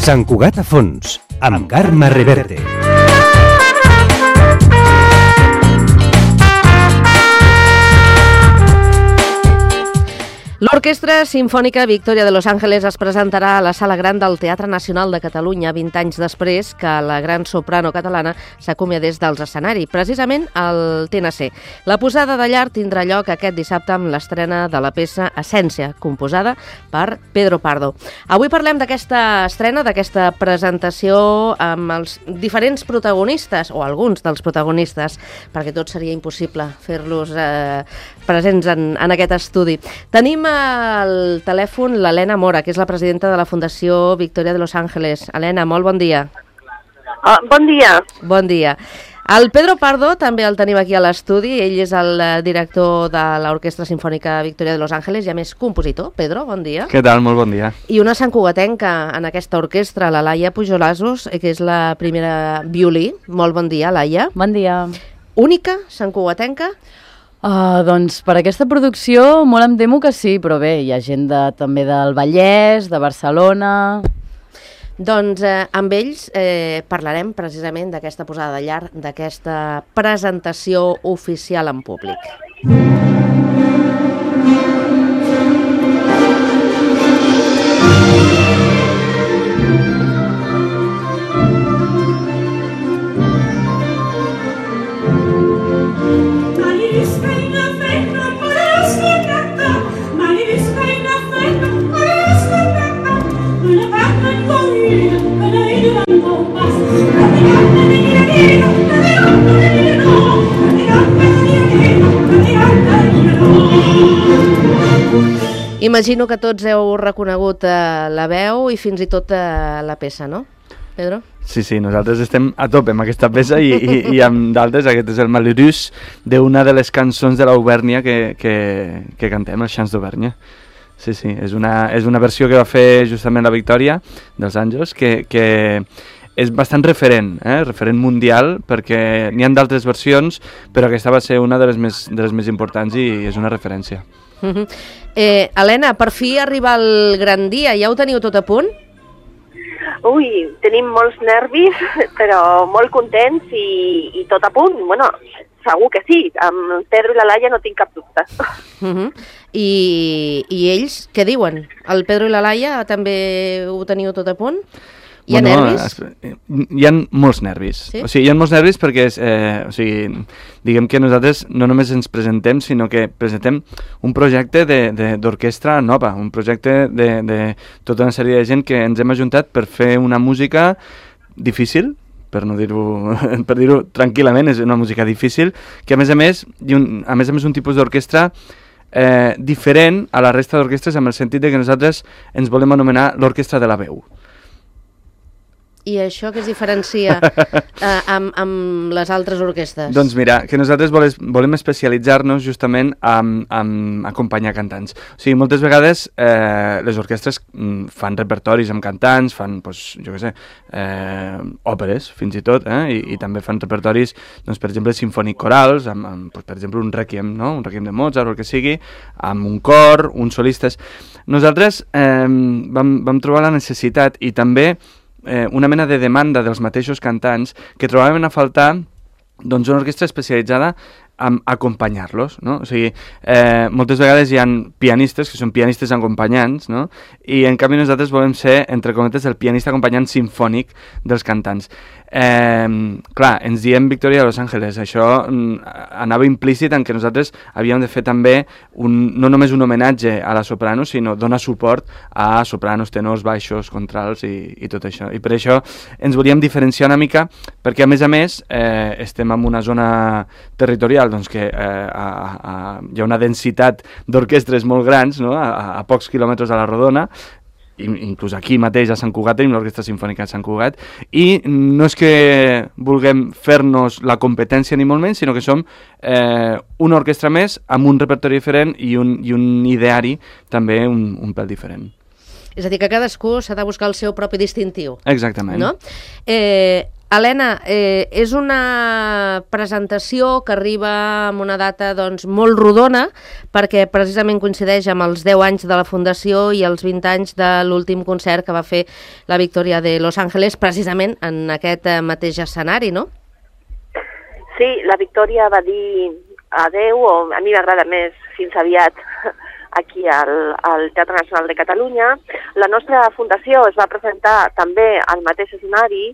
Sant Cugat a fons, amb Carme Reverte. L'Orquestra Simfònica Victoria de Los Ángeles es presentarà a la Sala Gran del Teatre Nacional de Catalunya 20 anys després que la gran soprano catalana s'acomiadés dels escenaris, precisament al TNC. La posada de llar tindrà lloc aquest dissabte amb l'estrena de la peça Essència, composada per Pedro Pardo. Avui parlem d'aquesta estrena, d'aquesta presentació amb els diferents protagonistes, o alguns dels protagonistes, perquè tot seria impossible fer-los presents en aquest estudi. Tenim al telèfon l'Helena Mora, que és la presidenta de la Fundació Victoria de Los Ángeles. Helena, molt bon dia. Bon dia. Bon dia. El Pedro Pardo també el tenim aquí a l'estudi. Ell és el director de l'Orquestra Simfònica Victoria de Los Ángeles i a més compositor. Pedro, bon dia. Què tal? Molt bon dia. I una santcugatenca en aquesta orquestra, la Laia Pujolazos, que és la primera violí. Molt bon dia, Laia. Bon dia. Única santcugatenca? Doncs per aquesta producció molt em temo que sí, però bé, hi ha gent també del Vallès, de Barcelona... Doncs amb ells parlarem precisament d'aquesta posada de llar, d'aquesta presentació oficial en públic. Imagino que tots heu reconegut la veu i fins i tot la peça, no, Pedro? Sí, nosaltres estem a tope amb aquesta peça i amb d'altres. Aquest és el Malheureux d'una de les cançons de l'Auvergne que cantem, els Chants d'Auvergne. Sí, és una versió que va fer justament la Victòria dels Àngels, que és bastant referent mundial, perquè n'hi ha d'altres versions, però aquesta va ser una de les més importants i és una referència. Helena, per fi arriba el gran dia, ja ho teniu tot a punt? Ui, tenim molts nervis, però molt contents i tot a punt. Bueno, segur que sí, amb el Pedro i la Laia no tinc cap dubte. I ells què diuen? El Pedro i la Laia també ho teniu tot a punt? Hi ha nervis? Hi ha molts nervis. Sí? O sigui, hi ha molts nervis perquè diguem que nosaltres no només ens presentem, sinó que presentem un projecte d'orquestra nova, un projecte de tota una sèrie de gent que ens hem ajuntat per fer una música difícil, per dir-ho tranquil·lament, és una música difícil, que a més a més un tipus d'orquestra diferent a la resta d'orquestres, amb el sentit de que nosaltres ens volem anomenar l'orquestra de la veu. I això que es diferencia amb les altres orquestres? Doncs mira, que nosaltres volem especialitzar-nos justament en acompanyar cantants. O sigui, moltes vegades les orquestres fan repertoris amb cantants, fan, òperes, fins i tot, i també fan repertoris, doncs, per exemple, sinfònic-corals, per exemple, un requiem, no? Un requiem de Mozart o el que sigui, amb un cor, uns solistes. Nosaltres vam trobar la necessitat i també una mena de demanda dels mateixos cantants que trobaven a faltar doncs, una orquestra especialitzada en acompanyar-los, no? O sigui, moltes vegades hi ha pianistes que són pianistes acompanyants, no? I en canvi nosaltres volem ser, entre cometes, el pianista acompanyant simfònic dels cantants. Clar, ens diem Victoria de Los Ángeles, això anava implícit en que nosaltres havíem de fer també no només un homenatge a la soprano, sinó donar suport a sopranos, tenors, baixos, contrals i tot això. I per això ens volíem diferenciar una mica, perquè a més estem en una zona territorial doncs que hi ha una densitat d'orquestres molt grans, no? a pocs quilòmetres a la Rodona, inclús aquí mateix a Sant Cugat tenim l'Orquestra Simfònica de Sant Cugat, i no és que vulguem fer-nos la competència ni molt menys, sinó que som una orquestra més amb un repertori diferent i un ideari també un pèl diferent. És a dir, que cadascú s'ha de buscar el seu propi distintiu. Exactament. No? Helena, és una presentació que arriba amb una data doncs, molt rodona, perquè precisament coincideix amb els 10 anys de la Fundació i els 20 anys de l'últim concert que va fer la Victoria de Los Ángeles, precisament en aquest mateix escenari, no? Sí, la Victoria va dir adeu, o a mi m'agrada més fins aviat, aquí al Teatre Nacional de Catalunya. La nostra fundació es va presentar també al mateix escenari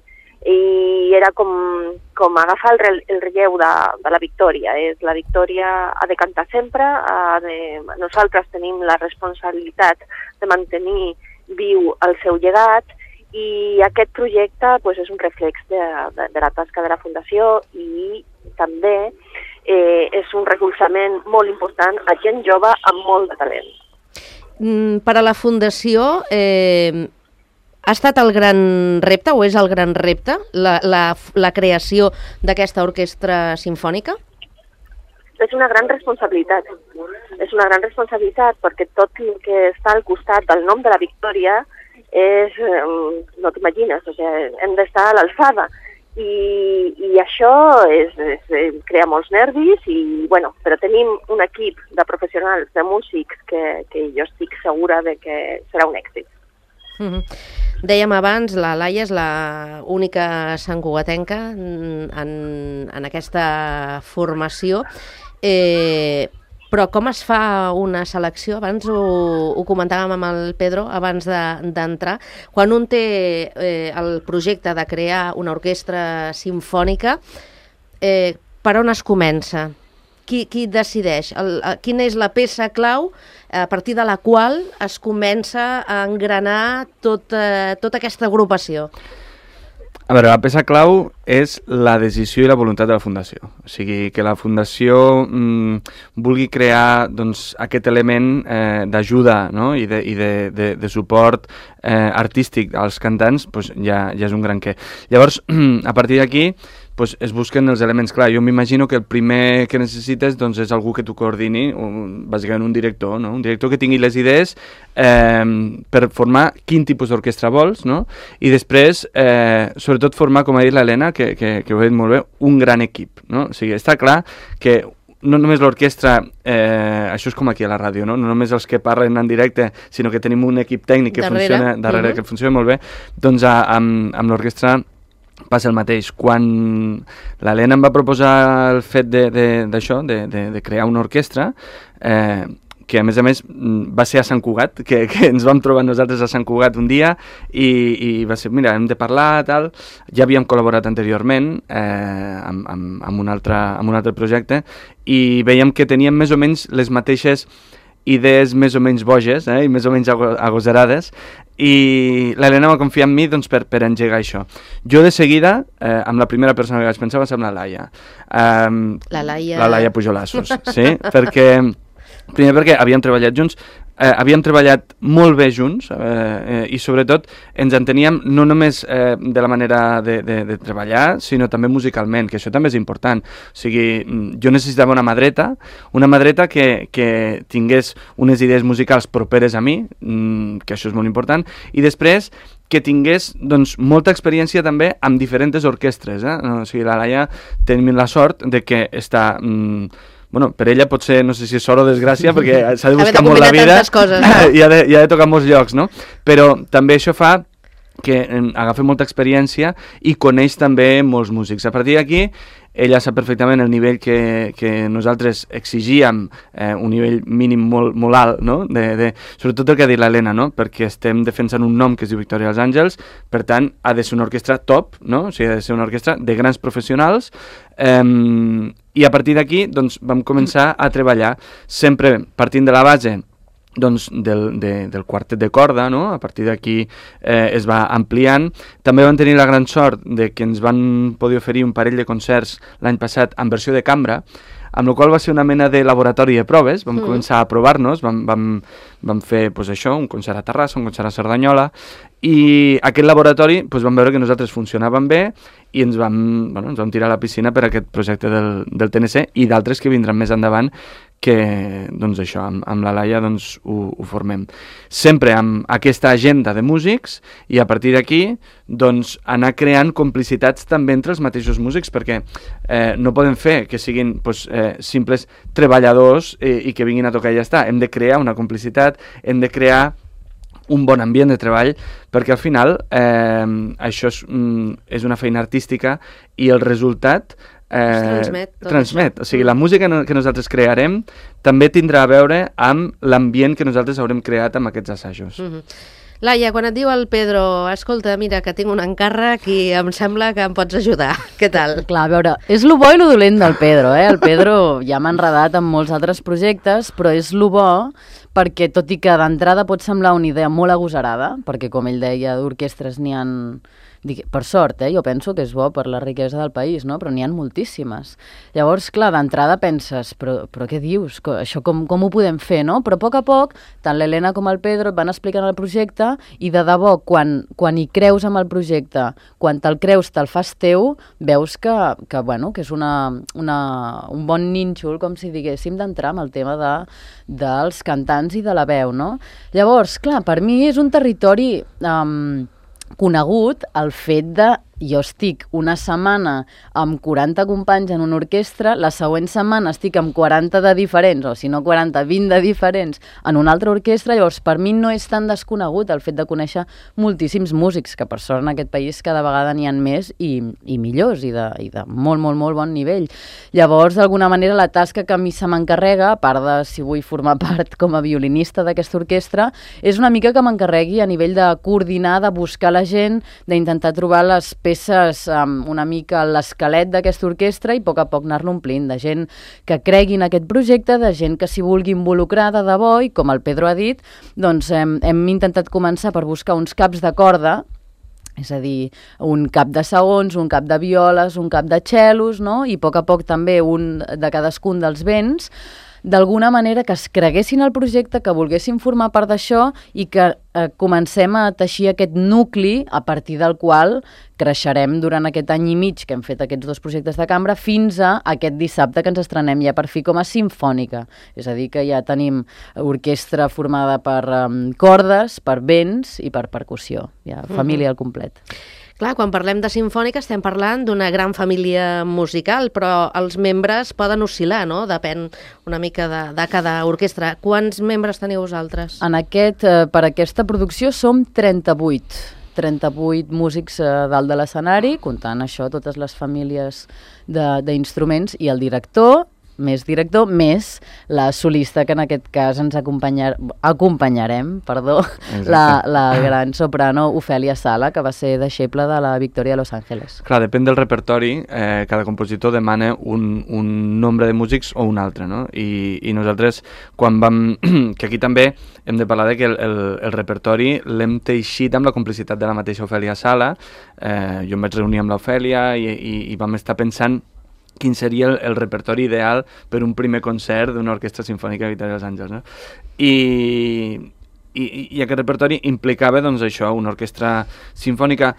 i era com agafar el relleu de la Victòria. La Victòria ha de cantar sempre, nosaltres tenim la responsabilitat de mantenir viu el seu llegat i aquest projecte és un reflex de la tasca de la Fundació i també és un recolzament molt important a gent jove amb molt de talent. Per a la Fundació, ha estat el gran repte o és el gran repte la creació d'aquesta orquestra simfònica? És una gran responsabilitat. És una gran responsabilitat perquè tot el que està al costat del nom de la Victòria no t'imagines, hem d'estar a l'alçada. I això crea molts nervis, però tenim un equip de professionals, de músics, que jo estic segura de que serà un èxit. Dèiem abans, la Laia és l'única santcugatenca en aquesta formació, però com es fa una selecció? Abans ho comentàvem amb el Pedro, abans d'entrar. Quan un té el projecte de crear una orquestra simfònica, per on es comença? Qui decideix? Quina és la peça clau a partir de la qual es comença a engranar tota aquesta agrupació? A veure, la peça clau és la decisió i la voluntat de la Fundació. O sigui, que la Fundació vulgui crear aquest element d'ajuda, no? I de suport artístic als cantants, ja és un gran què. Llavors, a partir d'aquí, es busquen els elements. Clar, jo m'imagino que el primer que necessites és algú que t'ho coordini, bàsicament un director, no? Un director que tingui les idees per formar quin tipus d'orquestra vols, no? I després, sobretot formar, com ha dit l'Helena, que ho ha dit molt bé, un gran equip, no? O sigui, està clar que no només l'orquestra, això és com aquí a la ràdio, no només els que parlen en directe, sinó que tenim un equip tècnic que funciona darrere, que funciona molt bé, doncs amb l'orquestra passa el mateix. Quan l'Helena em va proposar el fet d'això, de crear una orquestra, que a més va ser a Sant Cugat, que ens vam trobar nosaltres a Sant Cugat un dia i va ser, mira, hem de parlar, tal. Ja havíem col·laborat anteriorment amb un altre projecte i veiem que teníem més o menys les mateixes idees més o menys boges i més o menys agosarades, i l'Helena va confiar en mi per engegar això. Jo de seguida, amb la primera persona que vaig pensar va ser amb la Laia. La Laia Pujolassos, sí, primer perquè havíem treballat junts, havíem treballat molt bé junts i sobretot ens enteníem no només de la manera de treballar, sinó també musicalment, que això també és important. O sigui, jo necessitava una mà dreta que tingués unes idees musicals properes a mi, que això és molt important, i després que tingués molta experiència també amb diferents orquestres. O sigui, la Laia tenim la sort de que està... per ella pot ser, no sé si és sort o desgràcia, perquè s'ha de buscar molt la vida i ha de tocar molts llocs, no? Però també això fa que agafa molta experiència i coneix també molts músics. A partir d'aquí, ella sap perfectament el nivell que nosaltres exigíem, un nivell mínim molt alt, no? Sobretot el que ha dit l'Helena, no? Perquè estem defensant un nom que es diu Victoria dels Àngels, per tant, ha de ser una orquestra top, no? O sigui, ha de ser una orquestra de grans professionals, i a partir d'aquí vam començar a treballar sempre partint de la base del quartet de corda, no? A partir d'aquí es va ampliant. També vam tenir la gran sort de que ens van poder oferir un parell de concerts l'any passat en versió de cambra, amb la qual va ser una mena de laboratori de proves. Vam començar a provar-nos, vam fer això, un concert a Terrassa, un concert a Cerdanyola, I aquest laboratori vam veure que nosaltres funcionàvem bé i ens vam tirar a la piscina per aquest projecte del TNC i d'altres que vindran més endavant que això, amb la Laia ho formem. Sempre amb aquesta agenda de músics i a partir d'aquí anar creant complicitats també entre els mateixos músics perquè no podem fer que siguin simples treballadors i que vinguin a tocar i ja està. Hem de crear una complicitat, hem de crear un bon ambient de treball, perquè al final això és una feina artística i el resultat transmet. O sigui, la música que nosaltres crearem també tindrà a veure amb l'ambient que nosaltres haurem creat amb aquests assajos. Laia, quan et diu el Pedro, escolta, mira, que tinc un encàrrec i em sembla que em pots ajudar. Què tal? Clar, a veure, és lo bo i lo dolent del Pedro, eh? El Pedro ja m'ha enredat amb molts altres projectes, però és lo bo perquè, tot i que d'entrada pot semblar una idea molt agosarada, perquè, com ell deia, d'orquestres n'hi ha... Per sort, jo penso que és bo per la riquesa del país, no? Però n'hi ha moltíssimes. Llavors, clar, d'entrada penses, però què dius? Això com ho podem fer, no? Però a poc, tant l'Helena com el Pedro et van explicant el projecte i de debò, quan hi creus amb el projecte, quan te'l creus, te'l fas teu, veus que és un bon nínxol, com si diguéssim, d'entrar amb el tema dels cantants i de la veu, no? Llavors, clar, per mi és un territori conegut el fet de jo estic una setmana amb 40 companys en una orquestra, la següent setmana estic amb 40 de diferents, o si no 40, 20 de diferents en una altra orquestra. Llavors per mi no és tan desconegut el fet de conèixer moltíssims músics, que per sort en aquest país cada vegada n'hi ha més i millors i de molt, molt, molt bon nivell. Llavors, d'alguna manera, la tasca que a mi se m'encarrega, a part de si vull formar part com a violinista d'aquesta orquestra, és una mica que m'encarregui a nivell de coordinar, de buscar la gent, d'intentar trobar les peces una mica l'esquelet d'aquesta orquestra i a poc anar-lo omplint de gent que cregui en aquest projecte, de gent que s'hi vulgui involucrar de debò i, com el Pedro ha dit, doncs hem intentat començar per buscar uns caps de corda, és a dir, un cap de segons, un cap de violes, un cap de cellos, no? I a poc també un de cadascun dels vents, d'alguna manera que es creguessin al projecte, que volguessin formar part d'això i que comencem a teixir aquest nucli a partir del qual creixerem durant aquest any i mig que hem fet aquests dos projectes de cambra fins a aquest dissabte que ens estrenem ja per fi com a simfònica. És a dir, que ja tenim orquestra formada per cordes, per vents i per percussió. Ja, família al complet. Clar, quan parlem de simfònica estem parlant d'una gran família musical, però els membres poden oscil·lar, no? Depèn una mica de cada orquestra. Quants membres teniu vosaltres? Per aquesta producció som 38 músics dalt de l'escenari, comptant això, totes les famílies d'instruments, i el director, més la solista, que en aquest cas ens acompanyarem, la gran soprano Ofèlia Sala, que va ser deixeble de la Victòria de Los Ángeles. Clar, depèn del repertori, cada compositor demana un nombre de músics o un altre, no? I nosaltres, quan que aquí també hem de parlar que el repertori l'hem teixit amb la complicitat de la mateixa Ofèlia Sala. Jo em vaig reunir amb l'Ofèlia i vam estar pensant quin seria el repertori ideal per un primer concert d'una orquestra simfònica de Victòria dels Àngels, no? I aquest repertori implicava, doncs, això, una orquestra simfònica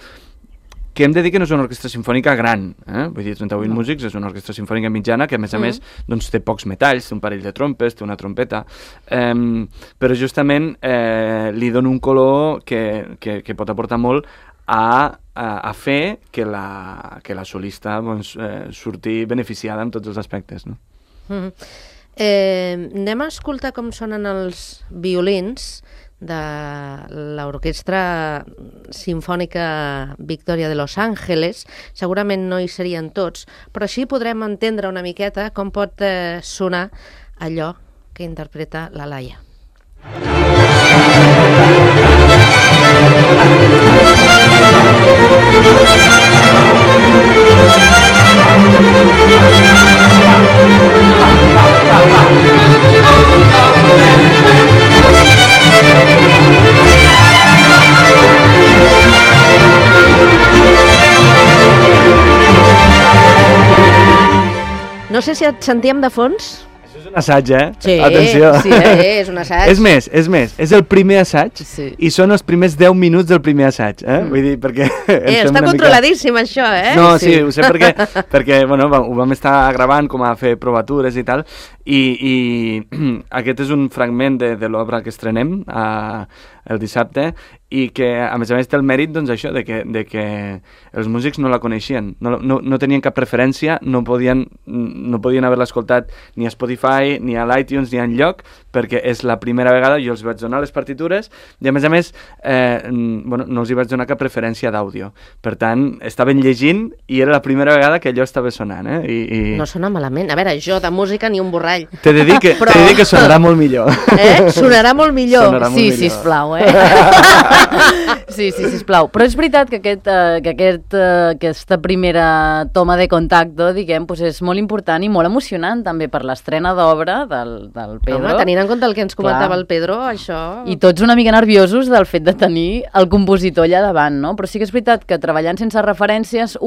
que hem de dir que no és una orquestra simfònica gran, vull dir, 38 músics, és una orquestra simfònica mitjana que, a més, doncs, té pocs metalls, té un parell de trompes, té una trompeta, però justament li dona un color que pot aportar molt a fer que la solista surti beneficiada en tots els aspectes, no? Anem a escoltar com sonen els violins de l'Orquestra Simfònica Victòria de Los Ángeles. Segurament no hi serien tots, però així podrem entendre una miqueta com pot sonar allò que interpreta la Laia. No sé si et sentíem de fons. Això és un assaig, Sí, Atenció. sí, és un assaig. És més, és el primer assaig i són els primers 10 minuts del primer assaig, Vull dir, perquè... Està controladíssim, això, No, sí, ho sé perquè bueno, ho vam estar gravant com a fer provatures i tal, i aquest és un fragment de l'obra que estrenem el dissabte, i que a més té el mèrit, doncs això, de que els músics no la coneixien, no tenien cap referència, no podien haver-la escoltat ni a Spotify, ni a l'iTunes, ni a enlloc, perquè és la primera vegada, jo els vaig donar les partitures, i a més no els hi vaig donar cap referència d'àudio. Per tant, estaven llegint i era la primera vegada que allò estava sonant, No sona malament. A veure, jo de música ni un borrall. T'he de dir que sonarà molt millor. Sonarà molt millor. Sí, sisplau, Sí, sisplau. Però és veritat que aquesta primera toma de contacte, diguem, és molt important i molt emocionant també per l'estrena d'obra del Pedro. Home, tenint en compte el que ens comentava el Pedro, això... I tots una mica nerviosos del fet de tenir el compositor allà davant, no? Però sí que és veritat que treballant sense referències,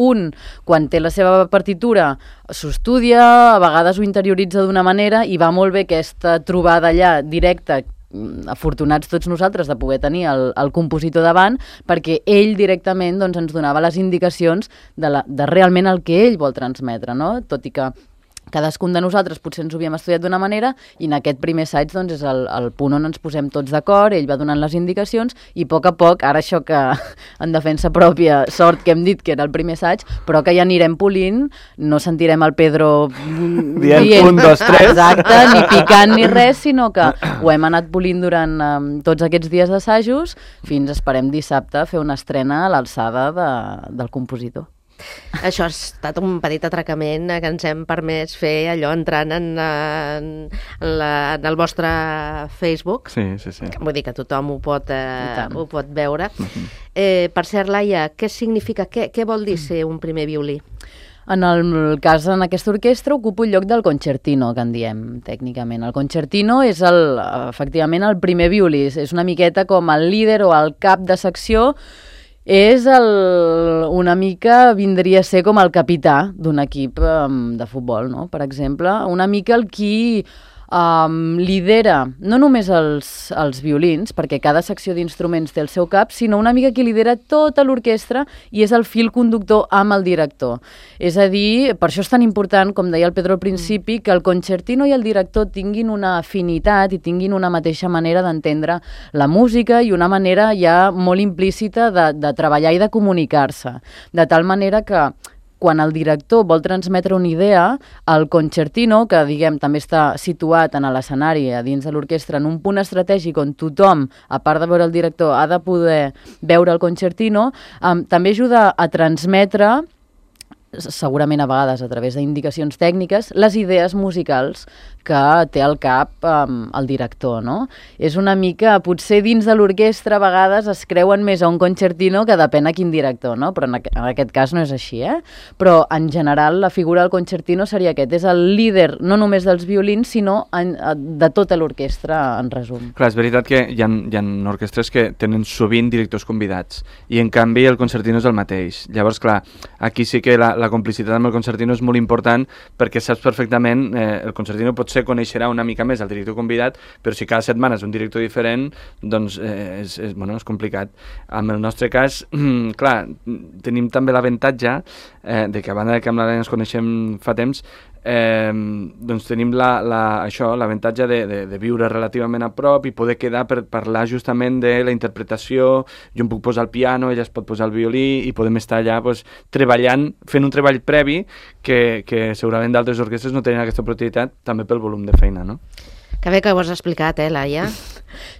quan té la seva partitura, s'ho estudia, a vegades ho interioritza d'una manera i va molt bé aquesta trobada allà directa, afortunats tots nosaltres de poder tenir el compositor davant, perquè ell directament ens donava les indicacions de realment el que ell vol transmetre, no? Tot i que cadascun de nosaltres potser ens ho havíem estudiat d'una manera i en aquest primer assaig és el punt on ens posem tots d'acord, ell va donant les indicacions i a poc, ara això que en defensa pròpia, sort que hem dit que era el primer assaig, però que ja anirem polint, no sentirem el Pedro dient 1, 2, 3. Exacte, ni picant ni res, sinó que ho hem anat polint durant tots aquests dies d'assajos fins esperem dissabte fer una estrena a l'alçada del compositor. Això ha estat un petit atracament que ens hem permès fer allò entrant en el vostre Facebook. Sí. Vull dir que tothom ho pot veure. Per cert, Laia, què significa, què vol dir ser un primer violí? En el cas, en aquesta orquestra, ocupo el lloc del concertino, que en diem tècnicament. El concertino és efectivament el primer violí, és una miqueta com el líder o el cap de secció. És una mica, vindria a ser com el capità d'un equip de futbol, no? Per exemple, una mica el qui lidera no només els violins, perquè cada secció d'instruments té el seu cap, sinó una mica qui lidera tota l'orquestra i és el fil conductor amb el director. És a dir, per això és tan important, com deia el Pedro al principi, que el concertino i el director tinguin una afinitat i tinguin una mateixa manera d'entendre la música i una manera ja molt implícita de treballar i de comunicar-se. De tal manera que quan el director vol transmetre una idea, el concertino, que diguem també està situat en l'escenari a dins de l'orquestra en un punt estratègic on tothom, a part de veure el director, ha de poder veure el concertino, també ajuda a transmetre, segurament a vegades a través d'indicacions tècniques, les idees musicals que té al cap el director, no? És una mica, potser dins de l'orquestra a vegades es creuen més a un concertino que depèn a quin director, no? Però en aquest cas no és així, Però en general la figura del concertino seria aquest, és el líder no només dels violins, sinó de tota l'orquestra, en resum. Clar, és veritat que hi ha orquestres que tenen sovint directors convidats i en canvi el concertino és el mateix. Llavors, clar, aquí sí que la complicitat amb el concertino és molt important perquè saps perfectament, el concertino potser coneixerà una mica més el director convidat, però si cada setmana és un director diferent, doncs és complicat. En el nostre cas, clar, tenim també l'avantatge de que a banda que amb l'Helena ens coneixem fa temps, doncs tenim l'avantatge de viure relativament a prop i poder quedar per parlar justament de la interpretació. Jo em puc posar el piano, ella es pot posar el violí i podem estar allà treballant, fent un treball previ que segurament d'altres orquestres no tenen aquesta oportunitat, també pel volum de feina, no? Que bé que ho has explicat, Laia?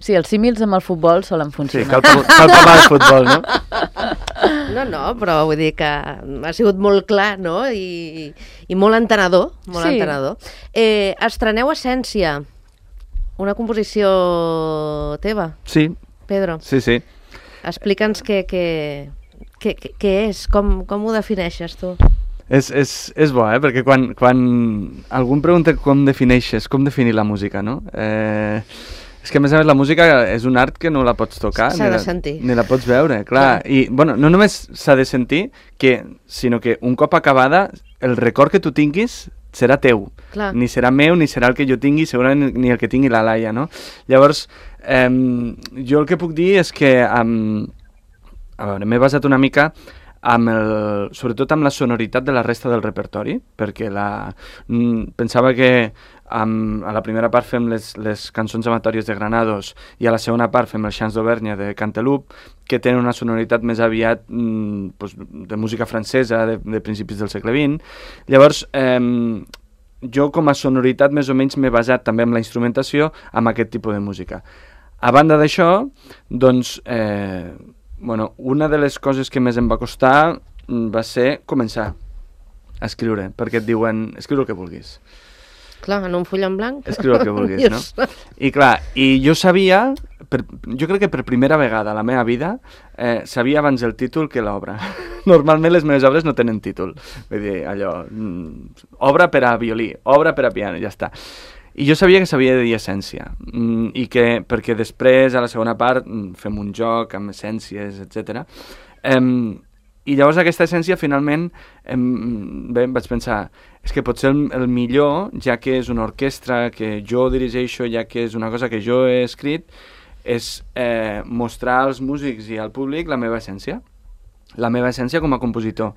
Sí, els símils amb el futbol solen funcionar. Sí, cal parlar de futbol, no? No, però vull dir que ha sigut molt clar, no? I molt entenedor, entenedor. Estreneu Essència, una composició teva? Sí. Pedro? Sí. Explica'ns què és, com ho defineixes tu? És bo, perquè quan algú em pregunta com definir la música, no? És que a més la música és un art que no la pots tocar, s'ha de sentir, ni la pots veure, clar. I no només s'ha de sentir, sinó que un cop acabada el record que tu tinguis serà teu. Clar. Ni serà meu, ni serà el que jo tingui, segurament ni el que tingui la Laia, no? Llavors, jo el que puc dir és que a veure, m'he basat una mica sobretot amb la sonoritat de la resta del repertori, perquè pensava que a la primera part fem les cançons amatòries de Granados i a la segona part fem els Chants d'Auvergne de Canteloup, que tenen una sonoritat més aviat de música francesa de principis del segle XX. Llavors, jo com a sonoritat més o menys m'he basat també en la instrumentació amb aquest tipus de música. A banda d'això, doncs, una de les coses que més em va costar va ser començar a escriure, perquè et diuen, escriu el que vulguis. Clar, en un full en blanc. Escriu el que vulguis, no? I clar, jo sabia, jo crec que per primera vegada a la meva vida, sabia abans el títol que l'obra. Normalment les meves obres no tenen títol. Vull dir, allò, obra per a violí, obra per a piano, ja està. I jo sabia que s'havia de dir essència, perquè després, a la segona part, fem un joc amb essències, etc. I llavors aquesta essència, finalment, vaig pensar, és que potser el millor, ja que és una orquestra que jo dirigeixo, ja que és una cosa que jo he escrit, és mostrar als músics i al públic la meva essència com a compositor.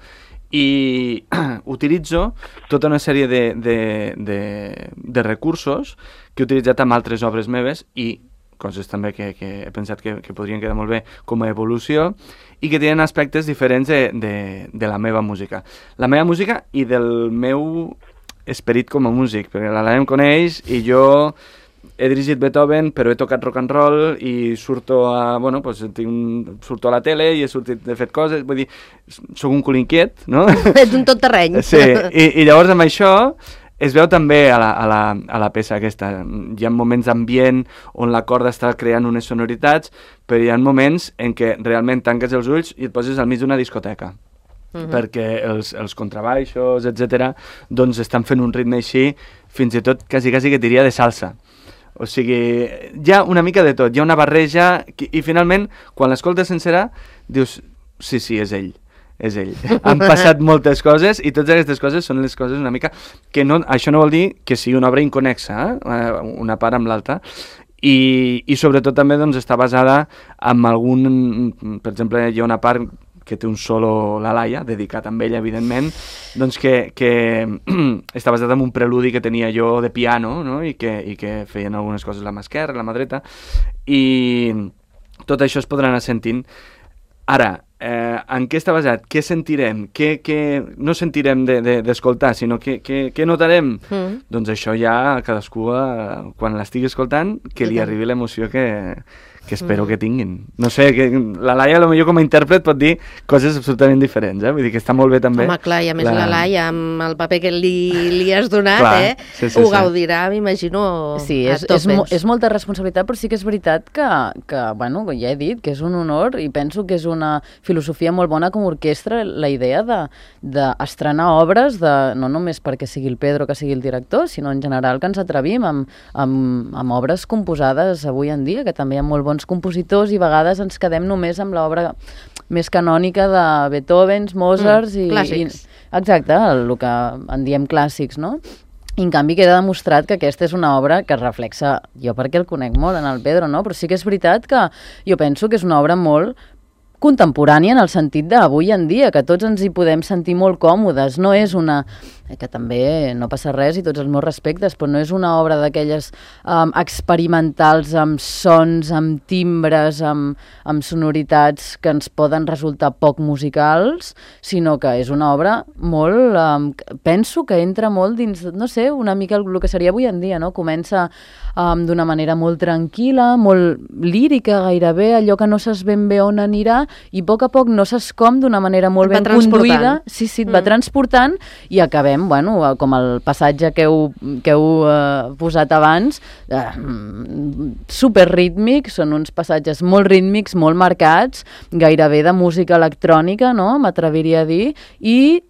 I utilitzo tota una sèrie de recursos que he utilitzat amb altres obres meves i coses també que he pensat que podrien quedar molt bé com a evolució i que tenen aspectes diferents de la meva música. La meva música i del meu esperit com a músic, perquè la Laia em coneix i jo he dirigit Beethoven, però he tocat rock and roll i surto a la tele i he fet coses, vull dir, sóc un cul inquiet, no? Ets un tot terreny. Sí, i llavors amb això es veu també a la peça aquesta. Hi ha moments d'ambient on la corda està creant unes sonoritats, però hi ha moments en què realment tanques els ulls i et poses al mig d'una discoteca. Perquè els contrabaixos, etc., doncs estan fent un ritme així, fins i tot quasi que diria de salsa. O sigui, hi ha una mica de tot, hi ha una barreja, i finalment, quan l'escoltes sencera, dius, sí, és ell. Han passat moltes coses, i totes aquestes coses són les coses una mica que això no vol dir que sigui una obra inconexa, una part amb l'altra, i sobretot també doncs, està basada en per exemple, hi ha una part que té un solo la Laia, dedicat a ella, evidentment, doncs que està basat en un preludi que tenia jo de piano, no? I que feien algunes coses la mà esquerra, la mà dreta, i tot això es podrà anar sentint. Ara, en què està basat? Què sentirem? Què no sentirem d'escoltar, sinó què notarem? Doncs això ja cadascú, quan l'estigui escoltant, que li arribi l'emoció que espero que tinguin. No sé, la Laia potser com a intèrpret pot dir coses absolutament diferents, vull dir que està molt bé també. Home, clar, i a més la Laia, amb el paper que li has donat, clar, ho gaudirà, m'imagino, sí, és molta responsabilitat, però sí que és veritat que, bueno, ja he dit, que és un honor i penso que és una filosofia molt bona com a orquestra, la idea d'estrenar obres, no només perquè sigui el Pedro que sigui el director, sinó en general que ens atrevim amb obres composades avui en dia, que també hi ha molt bons compositors i a vegades ens quedem només amb l'obra més canònica de Beethoven, Mozart clàssics. Exacte, el que en diem clàssics, no? I en canvi queda demostrat que aquesta és una obra que reflexa, jo perquè el conec molt en el Pedro, no? Però sí que és veritat que jo penso que és una obra molt contemporània en el sentit d'avui en dia, que tots ens hi podem sentir molt còmodes. No és una... que també no passa res i tots els meus respectes, però no és una obra d'aquelles experimentals amb sons, amb timbres, amb sonoritats que ens poden resultar poc musicals, sinó que és una obra molt... penso que entra molt dins, no sé, una mica el que seria avui en dia, no? Comença d'una manera molt tranquil·la, molt lírica gairebé, allò que no saps ben bé on anirà, i a poc no saps com, d'una manera molt ben conduïda. Sí, et va transportant i acabem, bueno, com el passatge que heu posat abans, superrítmic, són uns passatges molt rítmics, molt marcats, gairebé de música electrònica, no?, m'atreviria a dir, i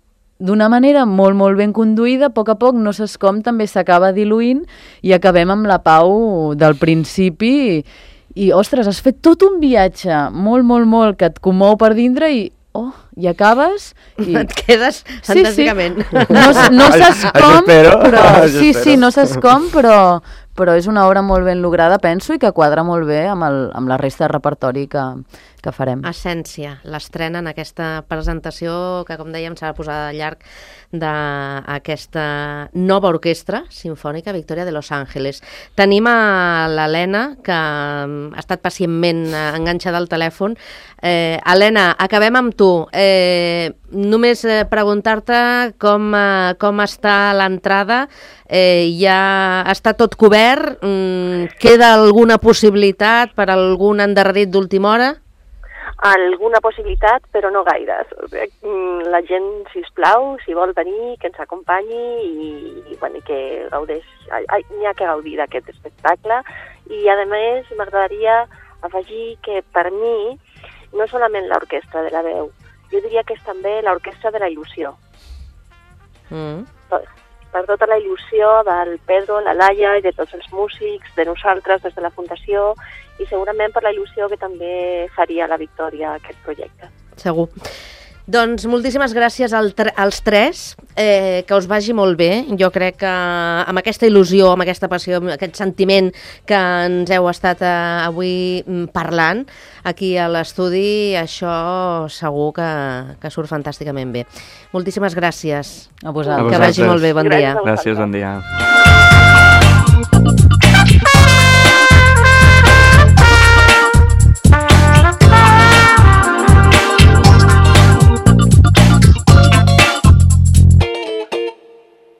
d'una manera molt, molt ben conduïda, a poc no saps com, també s'acaba diluint i acabem amb la pau del principi i ostres, has fet tot un viatge molt, molt, molt que et comou per dintre i i acabes i... Et quedes fantàsticament. No saps com, però... Això espero. No saps com, però és una obra molt ben lograda, penso, i que quadra molt bé amb la resta de repertori que farem. Essència, l'estrena en aquesta presentació que, com dèiem, s'ha de posar de llarg d'aquesta nova orquestra sinfònica Victoria de Los Ángeles. Tenim a l'Helena, que ha estat pacientment enganxada al telèfon. Helena, acabem amb tu. Només preguntar-te com està l'entrada. Ja està tot cobert? Queda alguna possibilitat per algun endarrerit d'última hora? Alguna possibilitat, però no gaires. La gent, sisplau, si vol venir, que ens acompanyi i que gaudeix. N'hi ha que gaudir d'aquest espectacle. I, a més, m'agradaria afegir que, per mi, no solament l'orquestra de la veu, jo diria que és també l'orquestra de la il·lusió. Per tota la il·lusió del Pedro, la Laia i de tots els músics, de nosaltres des de la Fundació, i segurament per la il·lusió que també faria la Victòria aquest projecte. Segur. Doncs moltíssimes gràcies als tres, que us vagi molt bé. Jo crec que amb aquesta il·lusió, amb aquesta passió, amb aquest sentiment que ens heu estat avui parlant aquí a l'estudi, això segur que surt fantàsticament bé. Moltíssimes gràcies. A vosaltres. Que vagi molt bé, bon dia. Gràcies, bon dia.